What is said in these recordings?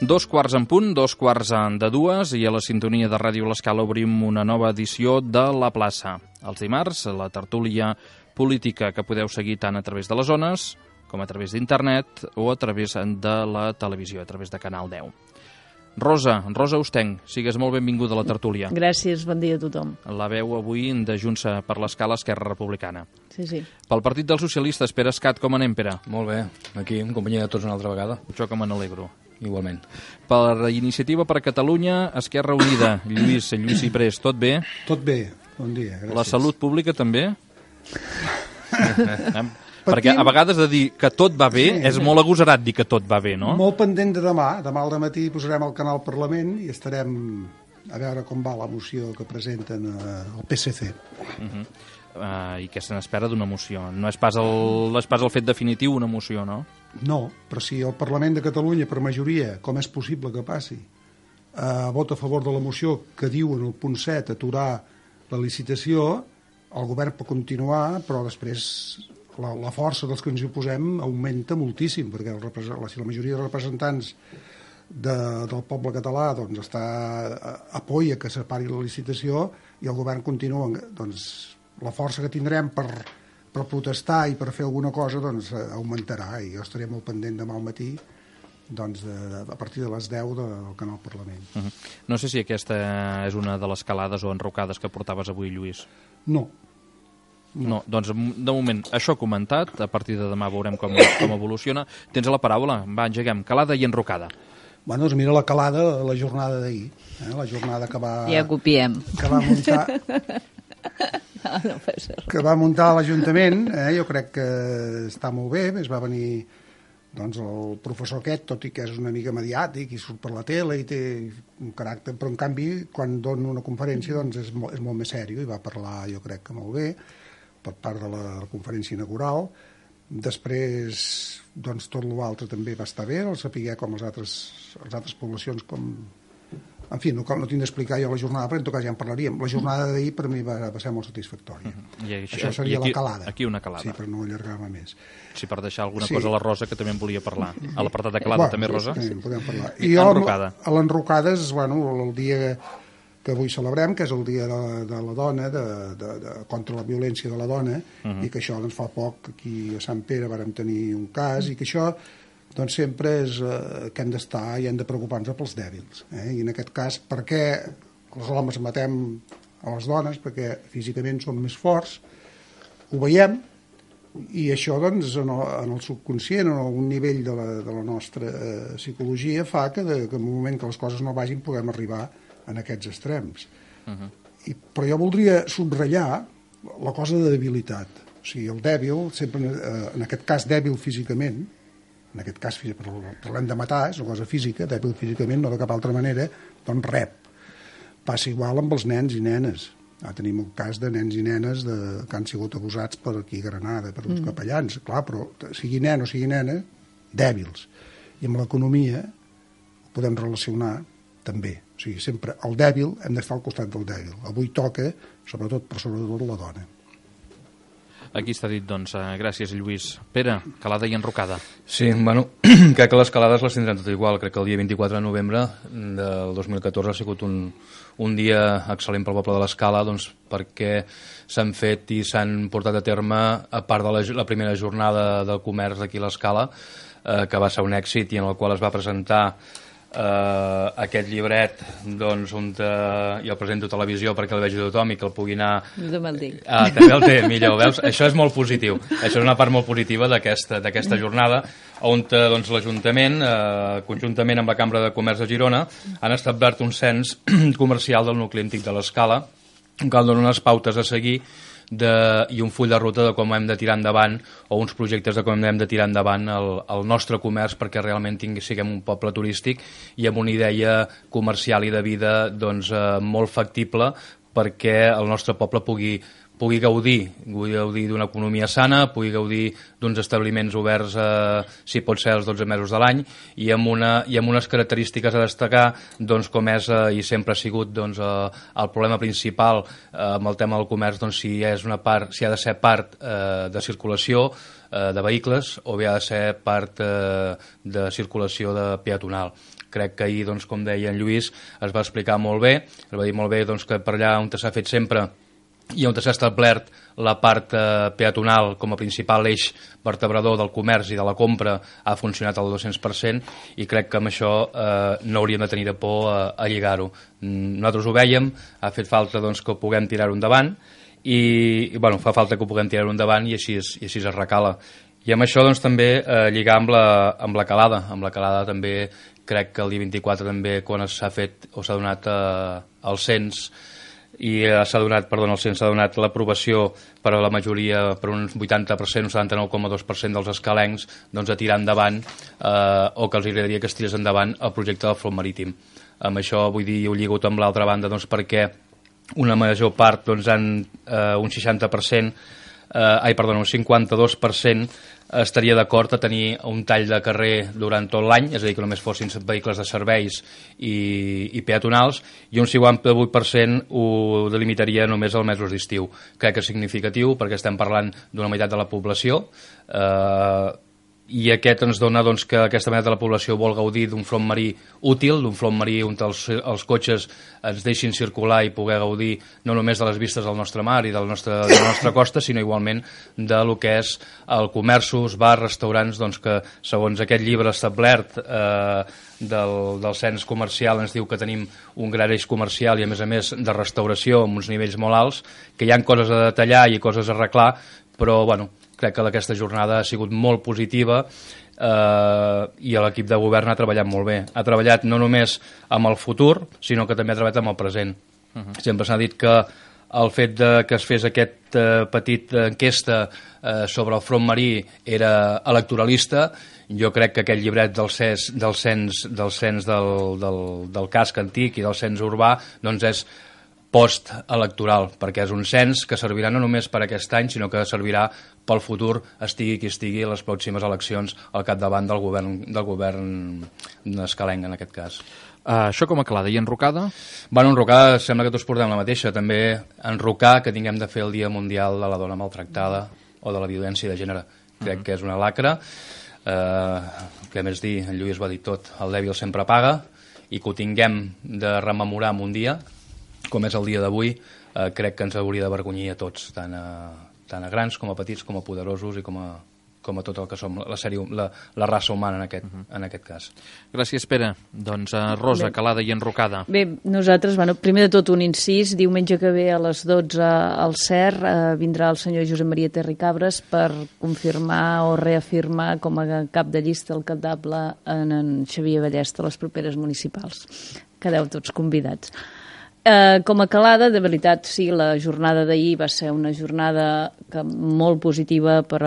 Dos quarts en punt, 2:45, i a la sintonia de Ràdio L'Escala obrim una nova edició de La Plaça. Els dimarts, la tertúlia política que podeu seguir tant a través de les ones com a través d'internet o a través de la televisió, a través de Canal 10. Rosa Ostenc, sigues molt benvinguda a la tertúlia. Gràcies, bon dia a tothom. La veu avui de Junts per l'Escala, Esquerra Republicana. Sí. Pel Partit dels Socialistes, Pere Escat, com anem, Pere? Molt bé, aquí en companyia de tots una altra vegada. Jo que me n'alegro. Igualment. Per Iniciativa per Catalunya, Esquerra Unida, Lluís Ciprés, tot bé? Tot bé, bon dia, gràcies. La salut pública també? Perquè a vegades de dir que tot va bé és molt agosarat dir que tot va bé, no? Molt pendent de demà. Demà al dematí posarem al canal Parlament i estarem a veure com va la moció que presenten al PSC. I què se n'espera d'una moció? No és pas el fet definitiu una moció, no? No, però si el Parlament de Catalunya, per majoria, com és possible que passi, vota a favor de la moció que diu en el punt 7 aturar la licitació, el govern pot continuar, però després la força dels que ens hi oposem augmenta moltíssim, perquè si la majoria de representants del poble català doncs, apoia que separi la licitació i el govern continua, doncs la força que tindrem per protestar i per fer alguna cosa doncs, augmentarà, i jo estaré molt pendent demà al matí doncs, a partir de les 10 del canal Parlament. No sé si aquesta és una de les calades o enrocades que portaves avui, Lluís. No, doncs de moment això comentat, a partir de demà veurem com evoluciona. Tens la paraula, va, engeguem, calada i enrocada. Bueno, doncs mira la calada, la jornada d'ahir, la jornada que va... Ja copiem. Que va muntar... que va muntar l'Ajuntament, jo crec que està molt bé, es va venir doncs, el professor aquest, tot i que és una mica mediàtic i surt per la tele i té un caràcter, però en canvi quan dona una conferència doncs, és molt més sèrio i va parlar jo crec que molt bé per part de la conferència inaugural. Després doncs, tot l'altre també va estar bé, el saber com les altres poblacions com... En fi, no tinc d'explicar jo la jornada, però en tot cas ja en parlaríem. La jornada d'ahir per mi va ser molt satisfactòria. Això seria la calada. Aquí una calada. Sí, però no allargar-me més. Sí, per deixar alguna cosa a la Rosa que també en volia parlar. A l'apartat de calada també, Rosa? Sí, podem parlar. I enrocada. A l'enrocada és el dia que avui celebrem, que és el dia de la dona, contra la violència de la dona, i que això doncs, fa poc aquí a Sant Pere vàrem tenir un cas, i que això doncs sempre és que hem d'estar i hem de preocupar-nos pels dèbils. I en aquest cas, per què els homes matem a les dones? Perquè físicament som més forts, ho veiem, i això doncs, en el subconscient, en algun nivell de la nostra psicologia, fa que en un moment que les coses no vagin puguem arribar en aquests extrems. Però jo voldria subratllar la cosa de debilitat. O sigui, el dèbil, sempre, en aquest cas dèbil físicament, en aquest cas parlem de matar, és una cosa física, dèbil físicament, no de cap altra manera, doncs rep. Passa igual amb els nens i nenes. Tenim el cas de nens i nenes que han sigut abusats per aquí a Granada, per uns capellans, clar, però sigui nen o sigui nena, dèbils. I amb l'economia ho podem relacionar també. O sigui, sempre el dèbil hem d'estar al costat del dèbil. Avui toca, sobretot la dona. Aquí està dit, doncs. Gràcies, Lluís. Pere, calada i enrocada. Sí, bueno, crec que les calades les tindrem tot igual. Crec que el dia 24 de novembre del 2014 ha sigut un dia excel·lent pel poble de l'Escala, doncs, perquè s'han fet i s'han portat a terme, a part de la primera jornada del comerç aquí a l'Escala, que va ser un èxit i en el qual es va presentar aquest llibret doncs, on jo el presento a televisió perquè el vegi tothom i que el pugui anar... No me'l dic. També el té, millor, veus? Això és molt positiu. Això és una part molt positiva d'aquesta jornada on doncs, l'Ajuntament, conjuntament amb la Cambra de Comerç de Girona, han establert un cens comercial del nucli antic de l'Escala, que dona unes pautes a seguir i un full de ruta de com hem de tirar endavant o uns projectes de com hem de tirar endavant el nostre comerç perquè realment siguem un poble turístic i amb una idea comercial i de vida doncs, molt factible perquè el nostre poble pugui pugui gaudir d'una economia sana, pugui gaudir d'uns establiments oberts, si pot ser els 12 mesos de l'any, i amb unes característiques a destacar, doncs, com és i sempre ha sigut el problema principal amb el tema del comerç, doncs, si ha de ser part de circulació de vehicles o bé ha de ser part de circulació de peatonal. Crec que ahir, doncs, com deia en Lluís, es va explicar molt bé, es va dir molt bé doncs, que per allà on s'ha fet sempre i on s'ha establert la part peatonal com a principal eix vertebrador del comerç i de la compra ha funcionat al 200%, i crec que amb això no hauríem de tenir de por a lligar-ho. Nosaltres ho vèiem, ha fet falta doncs, que ho puguem tirar-ho endavant, i bueno, fa falta que ho puguem tirar-ho endavant, i així es recala. I amb això doncs, també lligar amb la calada. Amb la calada també crec que el dia 24 també, quan s'ha fet o s'ha donat el cens, i s'ha donat l'aprovació per a la majoria, per un 80%, un 79,2% dels escalencs, doncs a tirar endavant o que els agradaria que es tirés endavant el projecte del front marítim. Amb això vull dir, ho lligo amb l'altra banda, doncs, perquè una major part, doncs, un 60%, un 52% estaria d'acord a tenir un tall de carrer durant tot l'any, és a dir, que només fossin vehicles de serveis i peatonals, i un 58% ho delimitaria només als mesos d'estiu. Crec que és significatiu perquè estem parlant d'una meitat de la població, i aquest ens dona doncs, que aquesta meitat de la població vol gaudir d'un front marí útil, d'un front marí on els cotxes ens deixin circular i poder gaudir no només de les vistes del nostre mar i de la nostra costa, sinó igualment de lo que és el comerços, bars, restaurants, doncs, que segons aquest llibre establert del cens comercial ens diu que tenim un gran eix comercial i a més de restauració amb uns nivells molt alts, que hi ha coses a detallar i coses a arreglar, però bueno, crec que aquesta jornada ha sigut molt positiva i l'equip de govern ha treballat molt bé. Ha treballat no només amb el futur, sinó que també ha treballat amb el present. Sempre s'ha dit que el fet que es fes aquest petit enquesta sobre el front marí era electoralista. Jo crec que aquest llibret del cens del casc antic i del cens urbà doncs és post-electoral, perquè és un cens que servirà no només per aquest any, sinó que servirà pel futur, estigui qui estigui, a les pròximes eleccions al capdavant del govern escalenc, en aquest cas. Això com a calada. I enrocada? Bueno, enrocada sembla que tots portem la mateixa. També enrocar que tinguem de fer el Dia Mundial de la Dona Maltractada o de la Violència de Gènere. Crec que és una lacra. Què més dir? En Lluís ho ha dit tot. El dèbil sempre paga, i que ho tinguem de rememorar en un dia, com és el dia d'avui, crec que ens hauria d'avergonyir a tots, tant a grans com a petits, com a poderosos i com a tot el que som la raça humana en aquest cas. Gràcies, Pere. Doncs Rosa, calada i enrocada. Bé, nosaltres, primer de tot un incís, diumenge que ve a les 12 al CER vindrà el senyor Josep Maria Terricabres per confirmar o reafirmar com a cap de llista alcaldable en Xavier Ballesta a les properes municipals. Quedeu tots convidats. Com a calada, de veritat, sí, la jornada d'ahir va ser una jornada molt positiva per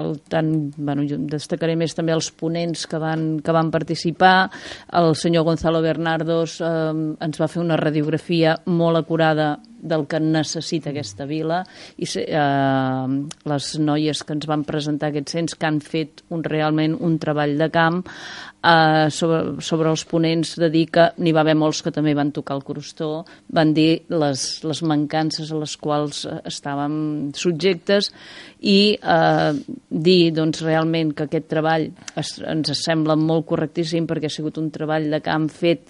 jo destacaré més també els ponents que van participar. El senyor Gonzalo Bernardos ens va fer una radiografia molt acurada del que necessita aquesta vila, i les noies que ens van presentar aquest cens, que han fet realment un treball de camp sobre els ponents, de dir que n'hi va haver molts que també van tocar el crostó, van dir les mancances a les quals estàvem subjectes, i dir doncs, realment que aquest treball ens sembla molt correctíssim, perquè ha sigut un treball de camp fet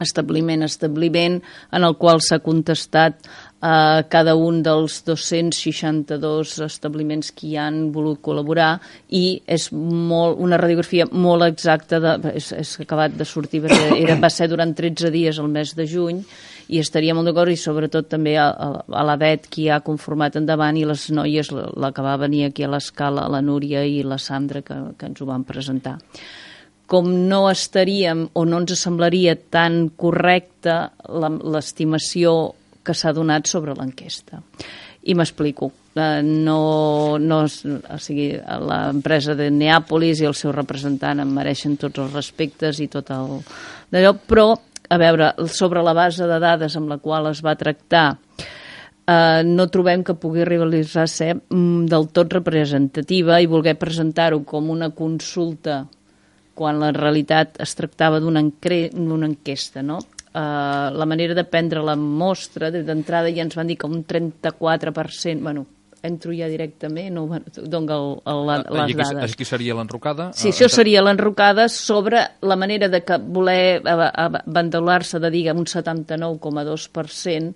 establiment, en el qual s'ha contestat cada un dels 262 establiments que hi han volgut col·laborar, i és una radiografia molt exacta, és acabat de sortir, va ser durant 13 dies el mes de juny, i estaria molt d'acord, i sobretot també a la Bet, qui ha conformat endavant, i les noies, la que va venir aquí a l'escala, la Núria i la Sandra, que ens ho van presentar. Com no estaríem o no ens semblaria tan correcta l'estimació que s'ha donat sobre l'enquesta. I m'explico. L'empresa de Neàpolis i el seu representant em mereixen tots els respectes i tot d'allò, però, a veure, sobre la base de dades amb la qual es va tractar, no trobem que pugui arribar a ser del tot representativa i voler presentar-ho com una consulta quan la realitat es tractava d'una enquesta, no? La manera de prendre la mostra, d'entrada ja ens van dir que un 34%, bueno, entro ja directament, no dono les dades. Aquí seria l'enrocada? Sí, això seria l'enrocada sobre la manera de voler abandolar-se de dir un 79,2%,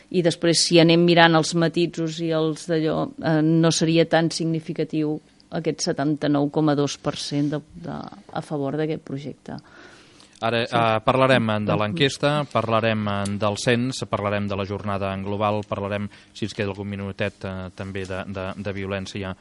i després si anem mirant els matisos i els d'allò, no seria tan significatiu aquest 79,2% a favor d'aquest projecte. Ara parlarem de l'enquesta, parlarem del cens, parlarem de la jornada en global, parlarem, si ens queda algun minutet, també de violència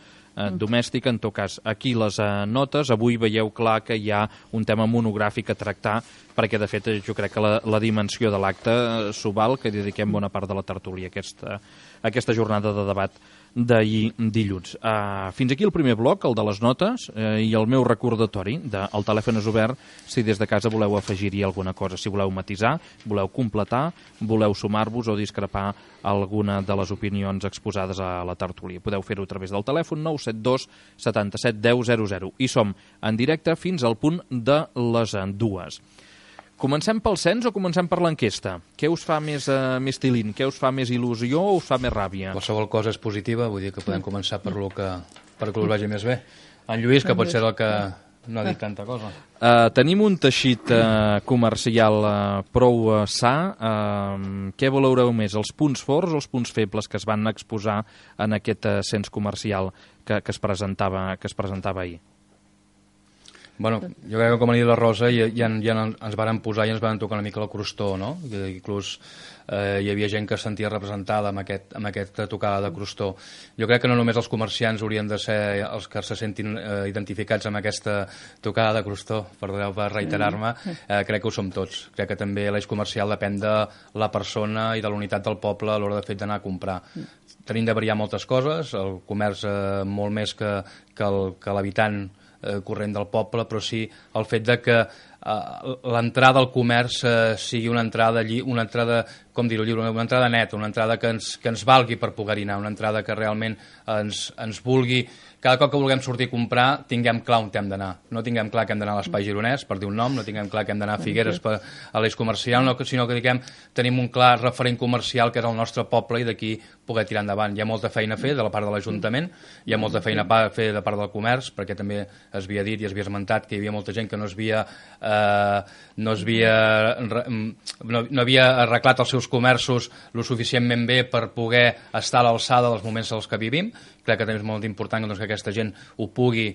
domèstica. En tot cas, aquí les notes. Avui veieu clar que hi ha un tema monogràfic a tractar, perquè de fet jo crec que la dimensió de l'acte s'ho val, que dediquem bona part de la tertúlia a aquesta jornada de debat d'ahir dilluns. Fins aquí el primer bloc, el de les notes, i el meu recordatori el telèfon és obert si des de casa voleu afegir-hi alguna cosa, si voleu matisar, voleu completar, voleu sumar-vos o discrepar alguna de les opinions exposades a la tertúlia. Podeu fer-ho a través del telèfon 972 77 10 00 i som en directe fins al punt de les 2. Comencem pel cens o comencem per l'enquesta? Què us fa més tilín? Què us fa més il·lusió o us fa més ràbia? Qualsevol cosa és positiva, vull dir que podem començar per lo que us vagi més bé. En Lluís, que pot ser el que no ha dit tanta cosa. Tenim un teixit comercial prou sa. Què valoreu més, els punts forts o els punts febles que es van exposar en aquest cens comercial que es presentava ahir? Bueno, jo crec que com ha dit la Rosa ja ens varen posar i ens varen tocar una mica el crostó, no? Inclús hi havia gent que es sentia representada amb aquesta tocada de crostó. Jo crec que no només els comerciants haurien de ser els que se sentin identificats amb aquesta tocada de crostó, perdoneu per reiterar-me, crec que ho som tots. Crec que també l'eix comercial depèn de la persona i de la unitat del poble a l'hora de fet d'anar a comprar. Tenim de variar moltes coses, el comerç molt més que l'habitant corrent del poble, però sí el fet de que l'entrada al comerç sigui una entrada com dir-ho lliure, una entrada neta, una entrada que ens valgui per poder-hi anar, una entrada que realment ens vulgui, cada cop que vulguem sortir a comprar tinguem clar on hem d'anar, no tinguem clar que hem d'anar a l'Espai Gironès, per dir un nom, no tinguem clar que hem d'anar a Figueres a l'eix comercial, sinó que tenim un clar referent comercial que és el nostre poble i d'aquí poder tirar endavant. Hi ha molta feina a fer de la part de l'Ajuntament, hi ha molta feina a fer de part del comerç, perquè també es havia dit i es havia esmentat que hi havia molta gent que no havia arreglat els seus comerços lo suficientment bé per poder estar a l'alçada dels moments als que vivim. Crec que també és molt important que aquesta gent ho pugui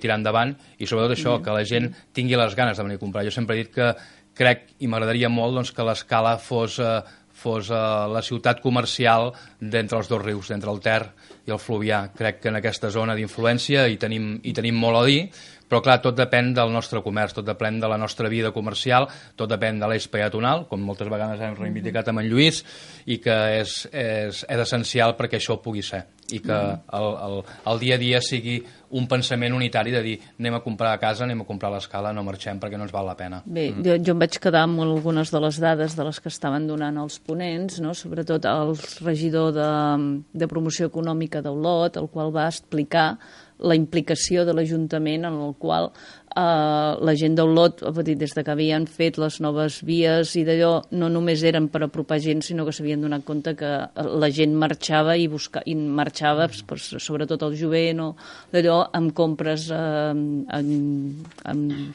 tirar endavant i sobretot això, que la gent tingui les ganes de venir a comprar. Jo sempre he dit que crec i m'agradaria molt que l'Escala fos la ciutat comercial d'entre els dos rius, d'entre el Ter i el Fluvià. Crec que en aquesta zona d'influència hi tenim molt a dir, però clar, tot depèn del nostre comerç, tot depèn de la nostra vida comercial, tot depèn de l'eix peatonal, com moltes vegades hem reivindicat amb en Lluís, i que és essencial perquè això pugui ser, i que el dia a dia sigui un pensament unitari de dir anem a comprar a casa, anem a comprar a l'Escala, no marxem perquè no ens val la pena. Bé, jo em vaig quedar amb algunes de les dades de les que estaven donant els ponents, no? Sobretot el regidor de promoció econòmica d'Olot, el qual va explicar la implicació de l'Ajuntament en el qual la gent d'Olot, des de que havien fet les noves vies i d'allò, no només eren per apropar gent, sinó que s'havien donat compte que la gent marxava i marxava, sobretot el jovent, d'allò, amb compres amb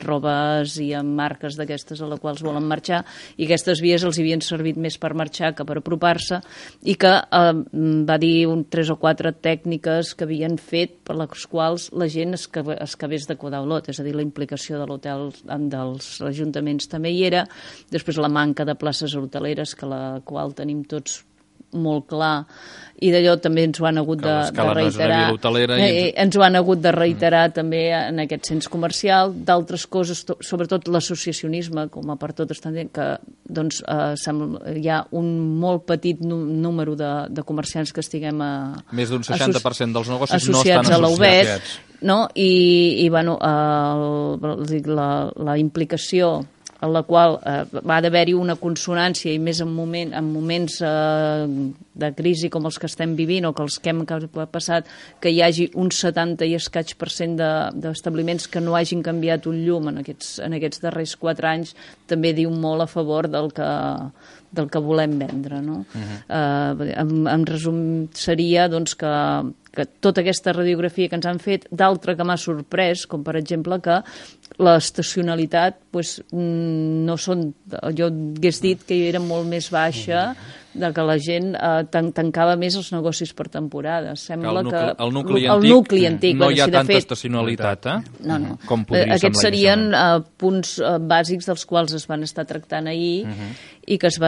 robes i amb marques d'aquestes a les quals volen marxar, i aquestes vies els havien servit més per marxar que per apropar-se, i que va dir 3 o 4 tècniques que havien fet per les quals la gent es quedés de quedar a Olot, és a dir, la implicació de l'hotel dels ajuntaments també hi era, després la manca de places hoteleres, que la qual tenim tots molt clar, i d'allò també ens ho han hagut de reiterar. Ens ho han hagut de reiterar també en aquest cens comercial, d'altres coses, sobretot l'associacionisme, com a per tot estan dient, que doncs, hi ha un molt petit número de comerciants que estiguem més d'un 60% dels negocis no estan associats a l'UBET, no? I bueno, la implicació en la qual va d'haver-hi una consonància, i més en moments de crisi com els que estem vivint o que els que hem passat, que hi hagi un 70 i escaig % d'establiments que no hagin canviat un llum en aquests darrers 4 anys, també diu molt a favor del que volem vendre, no? En resum seria doncs, que tota aquesta radiografia que ens han fet, d'altra que m'ha sorprès, com per exemple que l'estacionalitat no són... Jo hagués dit que era molt més baixa, que la gent tancava més els negocis per temporada. Sembla que el nucli antic no hi ha tanta estacionalitat, No. Com podria semblar. Aquests serien punts bàsics dels quals es van estar tractant ahir i que es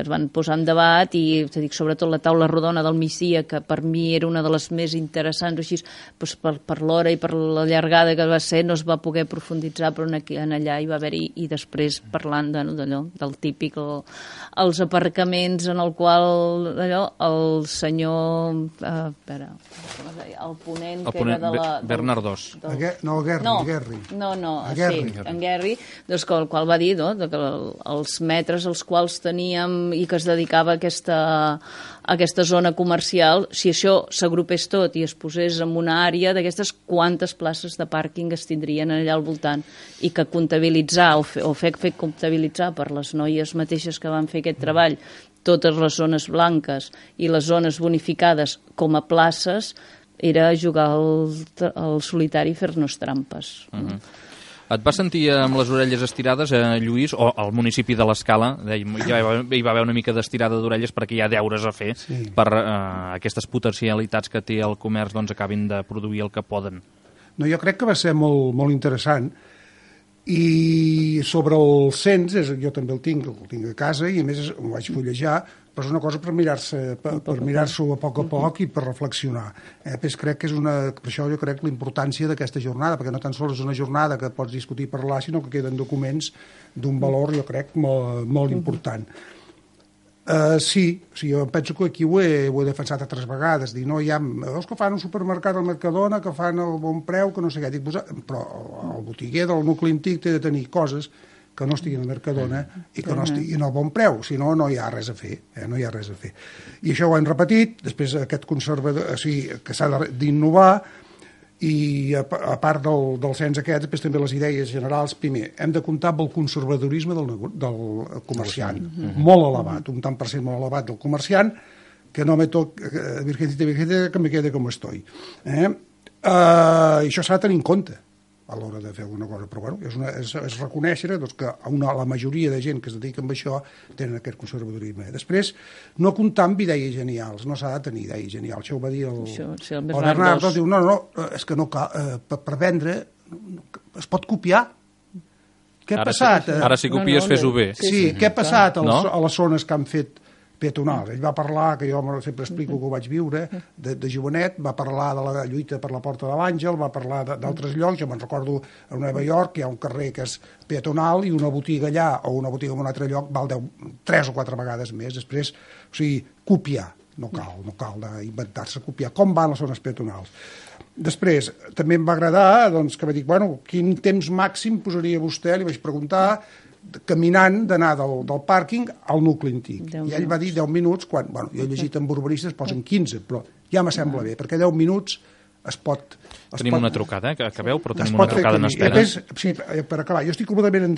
van posar en debat, i sobretot la taula rodona del migdia, que per mi era una de les més interessants, així, per l'hora i per la llargada que va ser, no es va poder profunditzar, però allà hi va haver-hi, i després parlant d'allò, del típic, els aparcaments en el qual el senyor el ponent que era de la... Bernardos. No, Guerri. En Guerri, doncs, el qual va dir que els metres als quals teníem i que es dedicava a aquesta zona comercial, si això s'agrupés tot i es posés en una àrea d'aquestes, quantes places de pàrquing es tindrien allà al voltant, i que comptabilitzar o fer comptabilitzar per les noies mateixes que van fer aquest treball totes les zones blanques i les zones bonificades com a places era jugar al solitari i fer-nos trampes. Et vas sentir amb les orelles estirades, Lluís, o al municipi de l'Escala? Ja hi va haver una mica d'estirada d'orelles perquè hi ha deures a fer per aquestes potencialitats que té el comerç, doncs acabin de produir el que poden. No, jo crec que va ser molt, molt interessant, i sobre el cens, jo també el tinc a casa, i a més ho vaig fullejar, però és una cosa per mirar-s'ho a poc i per reflexionar. Crec que per això jo crec l'importància d'aquesta jornada, perquè no tan sols és una jornada que pots discutir i parlar, sinó que queden documents d'un valor, jo crec, molt important. Sí, jo penso que aquí ho he defensat altres vegades, dir, no, hi ha veus que fan un supermercat al Mercadona, que fan el bon preu, que no sé què, però el botiguer del nucli antic té de tenir coses que no estiguin al Mercadona i que no estiguin al bon preu, si no, no hi ha res a fer, no hi ha res a fer. I això ho hem repetit, després aquest conservador, que s'ha d'innovar, i a part del cens aquest, després també les idees generals. Primer, hem de comptar amb el conservadorisme del comerciant, molt elevat, un tant per cent molt elevat del comerciant, que no me toca, virgencita, que me quede com estoy. Això s'ha de tenir en compte a l'hora de fer alguna cosa, però bueno, és reconèixer que la majoria de gent que es dedica a això tenen aquest conservadorisme. Després, no comptar amb idees genials, no s'ha de tenir idees genials. Això ho va dir el Bernardo, diu, no, és que no cal, per vendre es pot copiar. Què ha passat? Ara si copies, fes-ho bé. Sí, què ha passat a les zones que han fet peatonals? Ell va parlar, que jo sempre explico que ho vaig viure, de jovenet, va parlar de la lluita per la Porta de l'Àngel, va parlar d'altres llocs. Jo me'n recordo a Nova York, hi ha un carrer que és peatonal i una botiga allà o una botiga en un altre lloc val 3 o 4 vegades més. Després, copiar, no cal inventar-se copiar. Com van les zones peatonals? Després, també em va agradar que va dir, quin temps màxim posaria vostè? Li vaig preguntar, caminant, d'anar del pàrquing al nucli antic. I ell va dir 10 minuts, quan, jo he llegit amb urbanistes, posen 15, però ja me sembla bé, perquè 10 minuts es pot... Tenim una trucada, que acabeu, però tenim una trucada en espera. Sí, per acabar, jo estic completament en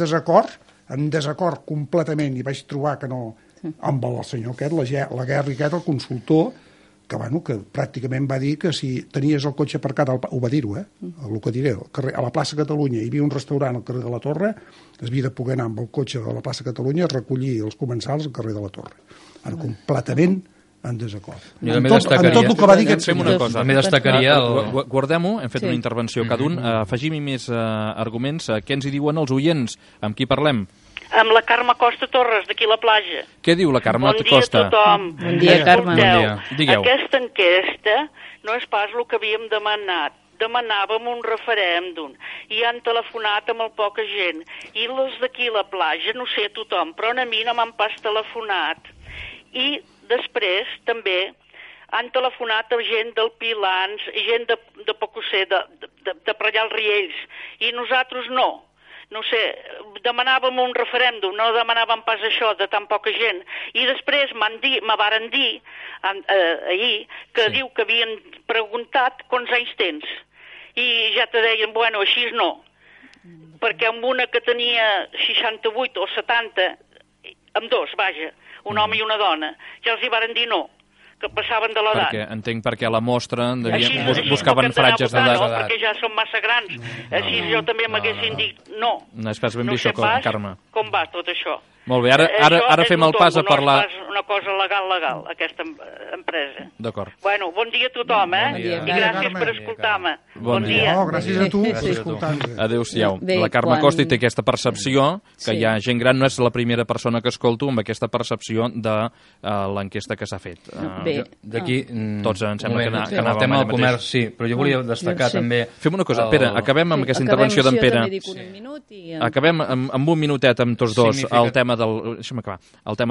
desacord completament, i vaig trobar que no, amb el senyor aquest, la Guerri aquest, el consultor, que pràcticament va dir que si tenies el cotxe aparcat, ho va dir-ho, el que diré, a la plaça Catalunya hi havia un restaurant al carrer de la Torre, es havia de poder anar amb el cotxe de la plaça Catalunya a recollir els comensals al carrer de la Torre. Ara, completament en desacord. En tot el que va dir aquest senyor. Fem una cosa. També destacaria... Guardem-ho, hem fet una intervenció cada un, afegim-hi més arguments. Què ens hi diuen els oients? Amb qui parlem? Amb la Carme Costa Torres, d'aquí la platja. Què diu la Carme Costa? Bon dia a tothom. Bon dia, Carme. Digueu. Aquesta enquesta no és pas el que havíem demanat. Demanàvem un referèndum i han telefonat a molt poca gent. I els d'aquí la platja, no sé a tothom, però a mi no m'han pas telefonat. I després també han telefonat a gent del Pilans, gent de Pocosser, de per allà als Riells, i nosaltres no. no sé, demanàvem un referèndum, no demanàvem pas això de tan poca gent, i després me varen dir ahir que diu que havien preguntat quants anys tens, i ja te deien, bueno, així no, perquè amb una que tenia 68 o 70, amb dos, vaja, un home i una dona, ja els hi varen dir no, que passaven de l'edat. Entenc perquè a la mostra buscaven franges d'edat. No, perquè ja són massa grans. Així jo també m'haguessin dit no. No és pas ben vist, Carme. Com va tot això. Molt bé, ara fem el pas a parlar... No és pas una cosa legal, aquesta empresa. D'acord. Bueno, bon dia a tothom, I gràcies per escoltar-me. Bon dia. No, gràcies a tu per escoltar-nos. Adéu-siau. La Carme Costa té aquesta percepció, que hi ha gent gran, no és la primera persona que escolto amb aquesta percepció de l'enquesta que s'ha fet. D'aquí... Tots em sembla que anàvem el tema del comerç, sí, però jo volia destacar també... Fem una cosa, Pere, acabem amb aquesta intervenció d'en Pere. Acabem amb un minutet amb tots dos el tema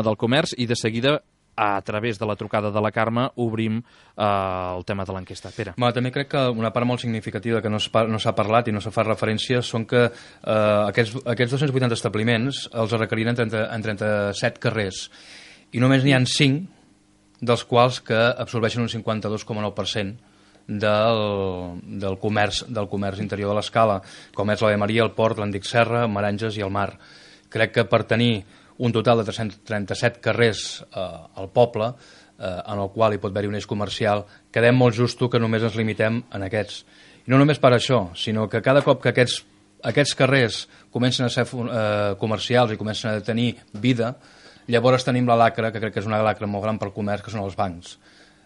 del comerç i de seguida, a través de la trucada de la Carme, obrim el tema de l'enquesta. Pere. També crec que una part molt significativa que no s'ha parlat i no se fa referència són que aquests 280 establiments els requeriren en 37 carrers i només n'hi ha 5 dels quals que absorbeixen un 52,9% del comerç interior de l'Escala, com és l'Ave Maria, el Port, l'Antic Serra, Maranges i el Mar. Crec que per tenir un total de 337 carrers al poble, en el qual hi pot haver-hi un eix comercial, quedem molt justo que només ens limitem en aquests. I no només per això, sinó que cada cop que aquests carrers comencen a ser comercials i comencen a tenir vida, llavors tenim la lacra, que crec que és una lacra molt gran pel comerç, que són els bancs.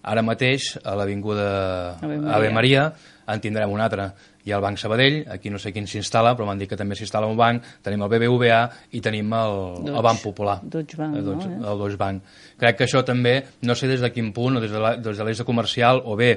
Ara mateix, a l'avinguda Ave Maria, en tindrem un altre. Hi ha el Banc Sabadell, aquí no sé quin s'instal·la, però m'han dit que també s'instal·la un banc, tenim el BBVA i tenim el Banc Popular. Deutsche Bank, el Deutsche Bank. Crec que això també, no sé des de quin punt, o des de l'eix comercial, o bé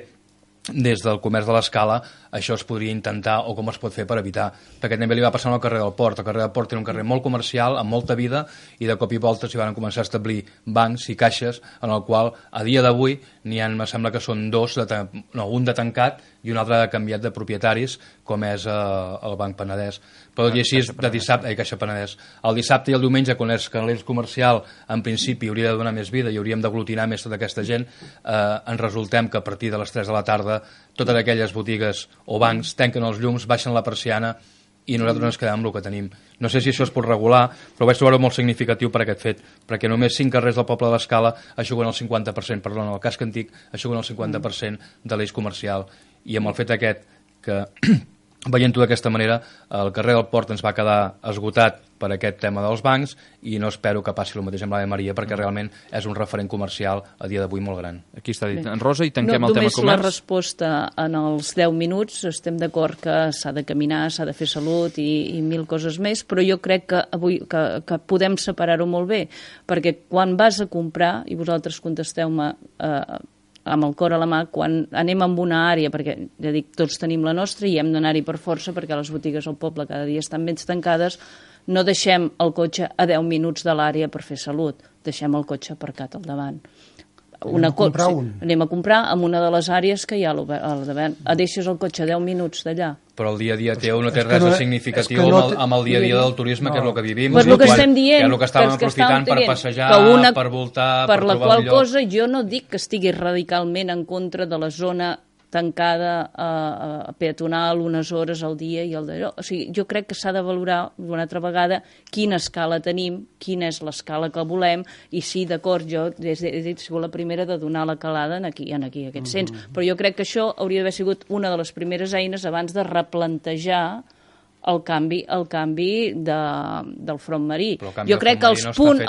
des del comerç de l'Escala, això es podria intentar o com es pot fer per evitar. Perquè també li va passar al carrer del Port. El carrer del Port era un carrer molt comercial, amb molta vida, i de cop i volta s'hi van començar a establir bancs i caixes, en el qual a dia d'avui n'hi ha, me sembla que són un de tancat i un altre canviat de propietaris, com és el Banc Penedès. Però tot i així, de dissabte, Caixa Penedès. El dissabte i el diumenge, quan és l'eix comercial, en principi hauria de donar més vida i hauríem d'aglutinar més tota aquesta gent, ens resultem que a partir de les 3 de la tarda totes aquelles botigues o bancs tanquen els llums, baixen la persiana i nosaltres ens quedem amb el que tenim. No sé si això es pot regular, però vaig trobar-ho molt significatiu per aquest fet, perquè només 5 carrers del poble de l'Escala aixuguen el 50%, perdona, el casc antic aixuguen el 50% de l'eix comercial. I amb el fet aquest que veient-ho d'aquesta manera, el carrer del Port ens va quedar esgotat per aquest tema dels bancs i no espero que passi el mateix amb l'Ave Maria perquè realment és un referent comercial a dia d'avui molt gran. Aquí està dit. En Rosa, i tanquem el tema comerç. Només la resposta en els 10 minuts. Estem d'acord que s'ha de caminar, s'ha de fer salut i 1000 coses més, però jo crec que avui que podem separar-ho molt bé, perquè quan vas a comprar, i vosaltres contesteu-me amb el cor a la mà, quan anem a una àrea, perquè ja dic, tots tenim la nostra i hem d'anar-hi per força perquè les botigues al poble cada dia estan ben tancades, no deixem el cotxe a 10 minuts de l'àrea per fer salut, deixem el cotxe aparcat al davant. Anem a comprar en una de les àrees que hi ha al davant. Deixes el cotxe a 10 minuts d'allà. Però el dia a dia teu no té res de significatiu amb el dia a dia del turisme, que és el que vivim. Però el que estem dient, que és el que estàvem aprofitant per passejar, per voltar, per trobar per la qual cosa jo no dic que estigui radicalment en contra de la zona tancada peatonal unes hores al dia i el d'allò. O sigui, jo crec que s'ha de valorar una altra vegada quina escala tenim, quina és l'escala que volem, i sí, d'acord, jo he sigut la primera de donar la calada en aquest sens. Però jo crec que això hauria d'haver sigut una de les primeres eines abans de replantejar el canvi del front marí. Jo crec que els punts...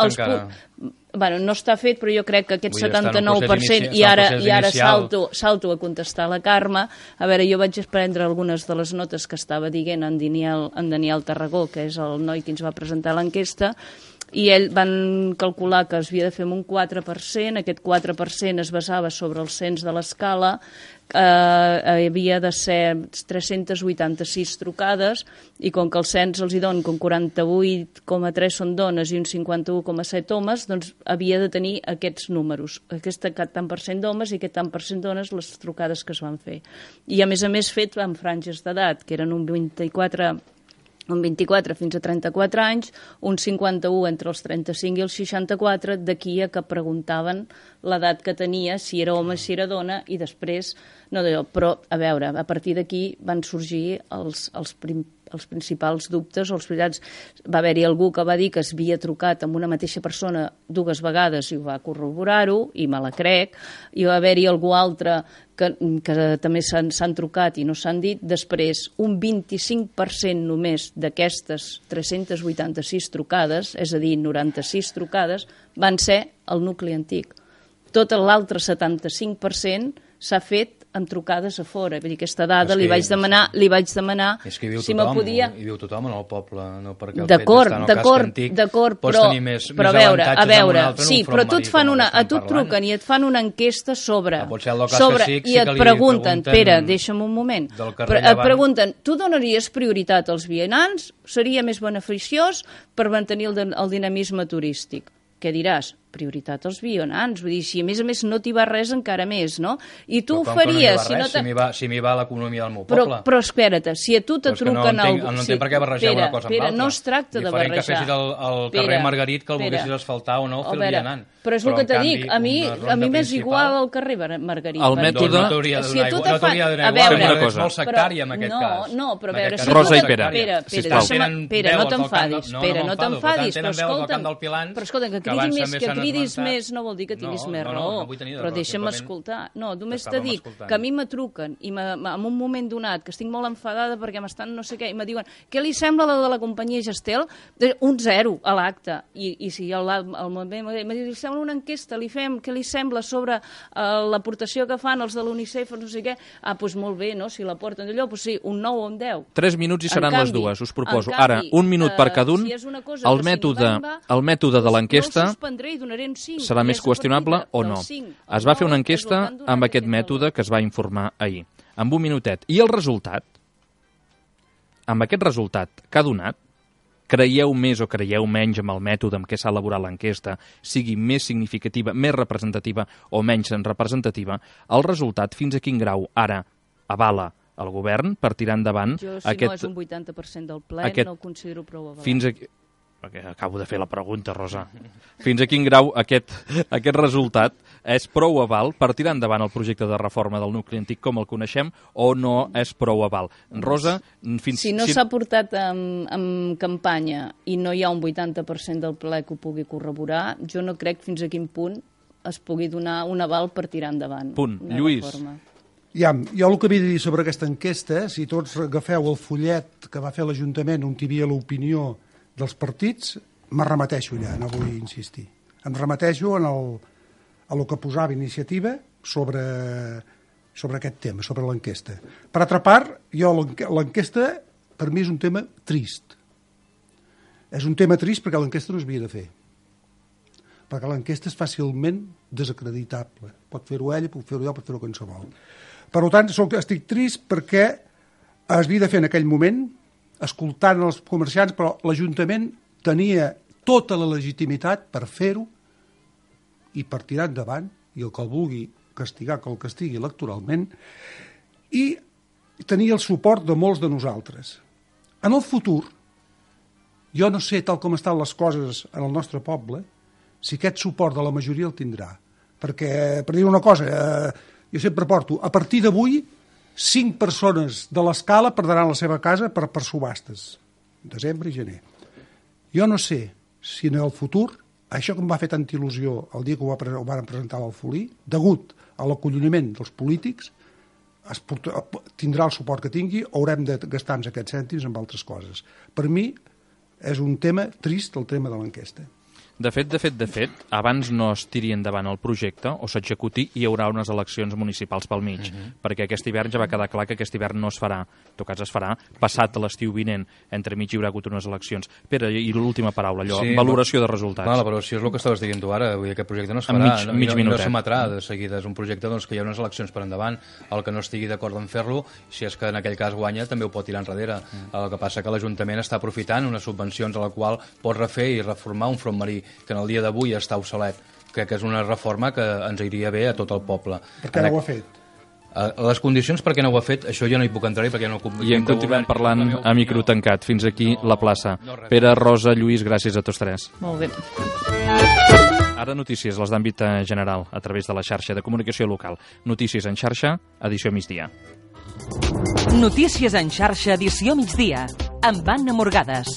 Bueno, no està fet, però jo crec que aquest 79% i ara salto a contestar a la Carme. A veure, jo vaig prendre algunes de les notes que estava dient en Daniel Tarragó, que és el noi que ens va presentar l'enquesta, i ell van calcular que es havia de fer amb un 4%, aquest 4% es basava sobre el cens de l'escala, havia de ser 386 trucades, i com que el cens els hi donen com 48,3 són dones i un 51,7 homes, doncs havia de tenir aquests números, aquest tant per cent d'homes i aquest tant per cent dones, les trucades que es van fer. I a més fet amb franges d'edat, que eren un 24 un 24 fins a 34 anys, un 51 entre els 35 i els 64, d'aquí a que preguntaven l'edat que tenia, si era home, si era dona, i després, no d'allò, però, a veure, a partir d'aquí van sorgir els principals dubtes, els veritats. Va haver-hi algú que va dir que es havia trucat amb una mateixa persona 2 vegades i ho va corroborar-ho, i me la crec, i va haver-hi algú altre que també s'han trucat i no s'han dit. Després, un 25% només d'aquestes 386 trucades, és a dir, 96 trucades, van ser al nucli antic. Tot l'altre 75% s'ha fet amb trucades a fora. Vull dir, aquesta dada li vaig demanar és que hi viu si tothom, podia... hi viu tothom en el poble, no perquè el fet d'estar en el casc antic pots tenir més avantatges en un altre, sí, però a tu et truquen i et fan una enquesta sobre i et pregunten, Pere, deixa'm un moment, et pregunten, tu donaries prioritat als vianants? Seria més beneficiós per mantenir el dinamisme turístic? Què diràs? Prioritat als vianants, vull dir, si a més no t'hi va res encara més, no? I tu ho faries... Si m'hi va l'economia del meu poble. Però espera't, si a tu te truquen... No entenc per què barrejar una cosa amb l'altra. No es tracta de barrejar. Diferent que fessis el carrer Margarit, que el volguessis asfaltar o no, fer el vianant. Però és el que te dic, a mi m'és igual el carrer Margarit. El mètode... No t'hauria d'anar igual, és molt sectari en aquest cas. No, però a veure... Rosa i Pere, Pere, no t'enfadis, però escolta'm, que cridis més no vol dir que tinguis més raó, però deixa'm escoltar. No, només te dic que a mi me truquen i en un moment donat que estic molt enfadada perquè m'estan no sé què i me diuen què li sembla la de la companyia Gestel? Un 0 a l'acte. I si li sembla una enquesta, li fem què li sembla sobre l'aportació que fan els de l'UNICEF o no sé què, doncs molt bé, no? Si la porten d'allò, doncs sí, un 9 o un 10. 3 minuts i seran les dues, us proposo. Ara, un minut per cada un. El mètode de l'enquesta serà més qüestionable o no. Es va fer una enquesta amb aquest mètode que es va informar ahir, amb un minutet. I el resultat, amb aquest resultat que ha donat, creieu més o creieu menys amb el mètode amb què s'ha elaborat l'enquesta, sigui més significativa, més representativa o menys representativa, el resultat fins a quin grau ara avala el govern per tirar endavant aquest... Jo, si no és un 80% del ple, no ho considero prou avalat. Fins a... Acabo de fer la pregunta, Rosa. Fins a quin grau aquest resultat és prou aval per tirar endavant el projecte de reforma del nucli antic com el coneixem o no és prou aval? Rosa, si no s'ha portat en campanya i no hi ha un 80% del ple que ho pugui corroborar, jo no crec fins a quin punt es pugui donar un aval per tirar endavant. Punt. Lluís. Jo el que havia de dir sobre aquesta enquesta, si tots agafeu el fullet que va fer l'Ajuntament on hi havia l'opinió dels partits, me remeteixo allà, no vull insistir. Em remeteixo a el que posava iniciativa sobre aquest tema, sobre l'enquesta. Per altra part, l'enquesta per mi és un tema trist. És un tema trist perquè l'enquesta no s'havia de fer. Perquè l'enquesta és fàcilment desacreditable. Pot fer-ho ella, pot fer-ho jo, pot fer-ho qualsevol. Per tant, estic trist perquè es havia de fer en aquell moment escoltant els comerciants, però l'Ajuntament tenia tota la legitimitat per fer-ho i per tirar endavant, i el que el vulgui castigar, que el castigui electoralment, i tenia el suport de molts de nosaltres. En el futur, jo no sé, tal com estan les coses en el nostre poble, si aquest suport de la majoria el tindrà. Perquè, per dir una cosa, jo sempre porto, a partir d'avui, 5 persones de l'escala perdran la seva casa per subhastes, desembre i gener. Jo no sé si en el futur, això que em va fer tanta il·lusió el dia que ho van presentar a l'Alfolí, degut a l'acolloniment dels polítics, tindrà el suport que tingui, haurem de gastar-nos aquests cèntims amb altres coses. Per mi és un tema trist, el tema de l'enquesta. De fet, abans no es tiri endavant el projecte o s'executi, hi haurà unes eleccions municipals pel mig, perquè aquest hivern ja va quedar clar que aquest hivern no es farà, en tot cas es farà passat l'estiu vinent, entre mig hi haurà hagut unes eleccions. Pere, i l'última paraula, allò, sí, valoració de resultats. La valoració és el que estaves dient tu ara, vull dir, aquest projecte no es farà, no s'emetrà de seguida, és un projecte que hi ha unes eleccions per endavant, el que no estigui d'acord en fer-lo, si és que en aquell cas guanya, també ho pot tirar enrere. El que passa que l'Ajuntament està aprofitant unes subvencions a la qual pot refer i reformar un front marí que en el dia d'avui està obsolet. Crec que és una reforma que ens iria bé a tot el poble. Per què no ho ha fet? Les condicions perquè no ho ha fet, això jo no hi puc entrar-hi perquè no... I en continuem parlant a micro tancat. Fins aquí la plaça. Pere, Rosa, Lluís, gràcies a tots tres. Molt bé. Ara notícies, les d'àmbit general, a través de la xarxa de comunicació local. Notícies en xarxa, edició migdia. Notícies en xarxa, edició migdia, amb Anna Morgades.